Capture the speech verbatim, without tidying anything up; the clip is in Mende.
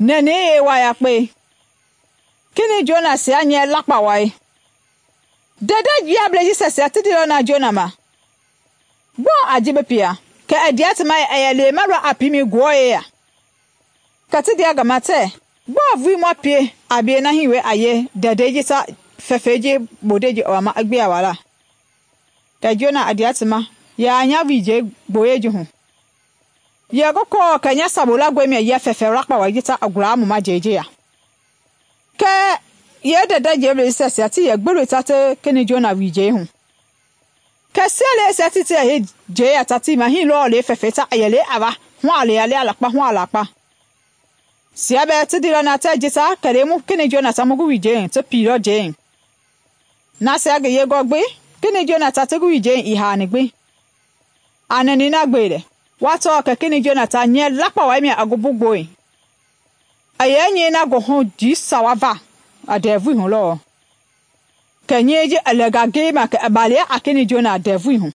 nɛnɛi yeewa yakpe kini Jona sia nyɛ lakpa wai. Ndɛndɛ jiablɛi jisia ti ndeilɔ na Jona ma, gbɔɔ a ji bi pie? Kɛ i ndea ti ma yɛ i yɛ lema lɔ a piimɛi Ngewɔ yeya. Kɛ ti ndea ngi ma tɛɛ, gbɔɔ vulii ma pie a bie na hii wee a yee ndɛndɛi jisia fɛfɛi ji bondei ji i wama i gbe a wala? Kɛ Jona i ndea ti ma yɛ a nya wiijɛi gboyei ji hu. Yɛ ngi kɔɔ kɛ nya sabu langɔe mia yɛ fɛfɛ lakpa wai jisia i gulaa mu ma njɛi ji ya. Kɛɛ yee ndɛndɛ jiablɛi jisia ti yɛ gbi loi ta ti kini Jona wiijɛi hu. Kɛ sieleisia ti ti yɛ hei njɛi ya ta tii ma hii lɔɔ le fɛfɛi ta i yɛ le a wa hu a le a le a lakpa hu a lakpa. Sia bɛɛ ti ndeilɔ na tɛɛ jisia kɛlɛi mu kini Jona ta mu ngi wiijɛi hu ti piilɔ njɛi. Nasia ngi yengɔ gbi kini Jona ta ti ngi wiijɛi ii haani gbi. A nɛnɛi na gbe lɛ, wa tɔɔ kɛ kini Jona ta nyɛ lakpa wai mia i ngi bu gbɔi. I yɛ nyɛi na ngi hu njii sawa va a ndɛvui hu lɔɔ. Kɛ nyɛi ji i lɛnga ngei ma kɛ i balia a kini Jona ndɛvui hu.